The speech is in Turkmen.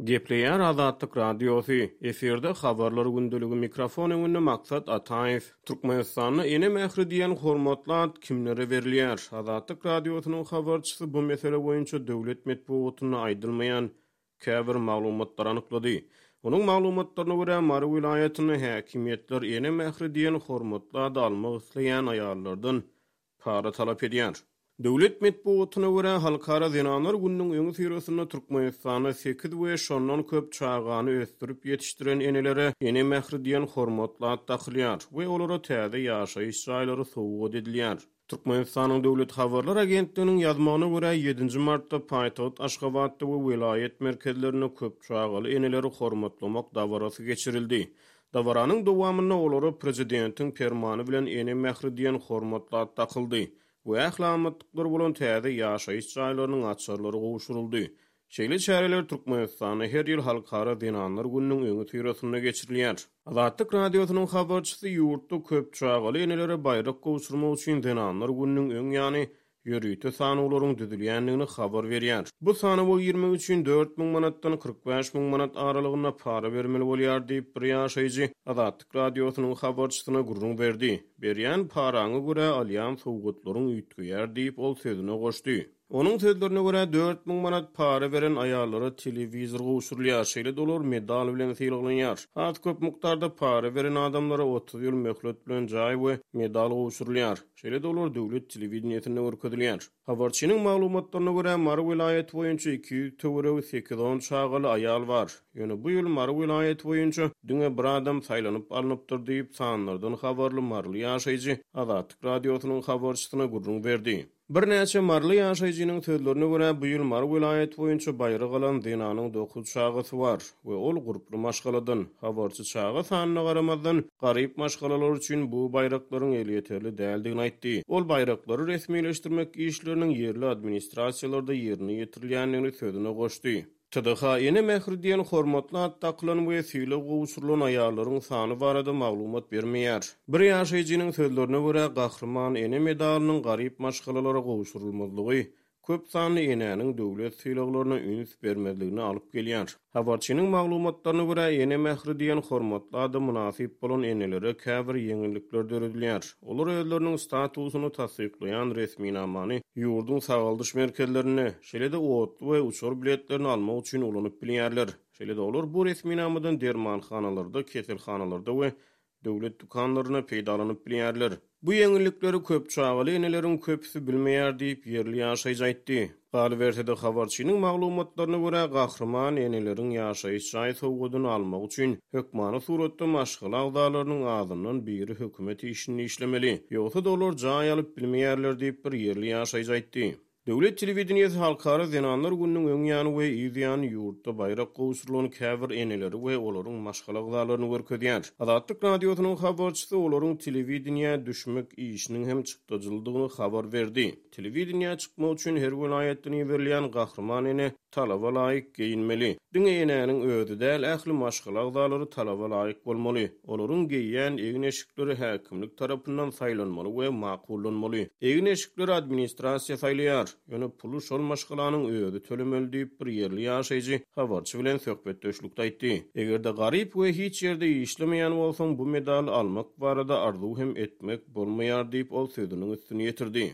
Gepleýär Azatlyk Radiosy, efirde Habarlar gündeligi mikrofon öňünde Maksat Ataýew. Türkmenistanda Ene mähri diýen hormatly at kimlere berilýär? Azatlyk Radiosynyň habarçysy bu mesele boýunça döwlet metbugatynda aýdylmaýan käbir maglumatlary anyklady. Onuň maglumatlaryna görä, Mary welaýatynda häkimiýetler Ene mähri diýen hormatly ady almak isleýän aýallardan para talap edýär. Döwlet metbugatyna görä, Halkara zenanlar gününiň öňüsyrasynda Türkmenistanda sekiz we şondan köp çagany ösdürip ýetişdiren enelere Ene mähri diýen hormatly at dakylýar we olara täze ýaşaýyş jaýlary sowgat edilýär. Türkmenistanyň Döwlet habarlar agentliginiň ýazmagyna görä, ýedinji martda paýtagt Aşgabatda we welaýat merkezlerinde köp çagaly eneleri hormatlamak dabarasy geçirildi. Dabaranyň dowamynda olara prezidentiň permany bilen Ene mähri diýen hormatly at dakyldy we ähli amatlyklary bolan täze ýaşaýyş jaýlarynyň açarlary gowşuryldy. Şeýle çäreler Türkmenistanda her ýyl Halkara zenanlar gününiň öňüsyrasynda geçirilýär. Azatlyk Radiosynyň habarçysy ýurtda köp çagaly enelere baýrak gowşurmak üçin Zenanlar gününiň öň ýany ýörite sanawlaryň düzülýändigini habar berýär. Bu sanawa girmek üçin 4000 manatdan 45 000 manat aralygynda para bermeli bolýar diýip, bir ýaşaýjy Azatlyk Radiosynyň habarçysyna gürrüň berdi. Berýän paraňa görä alýan sowgatlaryň üýtgeýär diýip, ol sözüne goşdy. Onuň sözlerine görä, 4000 manat para beren aýallara telewizor gowşurylýar, şeýle-de olar medal bilen sylaglanýar. Has köp mukdarda para beren adamlara 30 ýyl möhlet bilen jaý we medal gowşurylýar. Şeýle-de olar döwlet telewideniýesinde görkezilýär. Habarçynyň maglumatlaryna görä, Mary welaýaty boýunça 200 töweregi sekiz-on çagaly aýal bar. Ýöne bu ýyl Mary welaýaty boýunça diňe bir adam saýlanyp alnypdyr diýip, sanlardan habarly maryly ýaşaýjy Azatlyk Radiosynyň habarçysyna gürrüň berdi. Birnäçe maryly ýaşaýjynyň sözlerine görä, bu ýyl Mary welaýaty boýunça baýrak alan zenanyň dokuz çagasy bar we ol gurply maşgaladan. Habarçy çaga sanyna garamazdan, garyp maşgalalar üçin bu baýraklaryň elýeterli däldigini aýtdy. Ol baýraklary resmileşdirmek işleriniň ýerli administrasiýalarda ýerine ýetirilýändigini sözüne goşdy. TDH Ene mähri diýen hormatly at dakylan we sylag gowşurylan aýallaryň sany barada maglumat bermeýär. Bir ýaşaýjynyň sözlerine görä, Gahryman ene medalynyň garyp maşgalalara gowşurylmazlygy köp sanly enäniň döwlet sylaglaryna üns bermezligine alyp gelýär. Habarçynyň maglumatlaryna görä, Ene mähri diýen hormatly ada mynasyp bolan enelere käbir ýeňillikler döredilýär. Olar özleriniň statusyny tassyklaýan resminamany ýurduň sagaldyş merkezlerinde, şeýle-de otly we uçar biletlerini almak üçin ulanyp bilýärler. Şeýle-de olar bu resminamadan dermanhanalarda, keselhanalarda we döwlet dükanlarynda peýdalanyp bilýärler. Bu ýeňillikleri köp çagaly eneleriň köpüsi bilmeýär diýip, ýerli ýaşaýjy aýtdy. Galyberse-de, habarçynyň maglumatlaryna görä, gahryman eneleriň ýaşaýyş jaý sowgadyny almak üçin hökmany suratda maşgala agzalarynyň azyndan biri hökümet işinde işlemeli. Ýogsa-da olar jaý alyp bilmeýärler diýip, bir ýerli ýaşaýjy aýtdy. Döwlet telewideniýesi Halkara zenanlar gününiň öň ýany we yz ýany ýurtda baýrak gowşurylan käbir eneleri we olaryň maşgala agzalaryny görkezýär. Azatlyk Radiosynyň habarçysy olaryň telewideniýä düşmek işiniň hem çykdajylydygyny habar berdi. Telewideniýä çykmak üçin her welaýatdan iberilýän gahryman ene talaba laýyk geýinmeli. Diňe enäniň özi däl, ähli maşgala agzalary talaba laýyk bolmaly. Olaryň geýýän egin-eşikleri häkimlik tarapyndan saýlanmaly we makullanmaly. Egin-eşikleri administrasiýa saýlaýar, ýöne puly şol maşgalanyň özi tölemeli diýip, bir ýerli ýaşaýjy habarçy bilen söhbetdeşlikde aýtdy. Eger-de garyp we hiç ýerde işlemeýän bolsaň, bu medaly almak barada arzuw hem etmek bolmaýar diýip, ol sözüniň üstüni ýetirdi.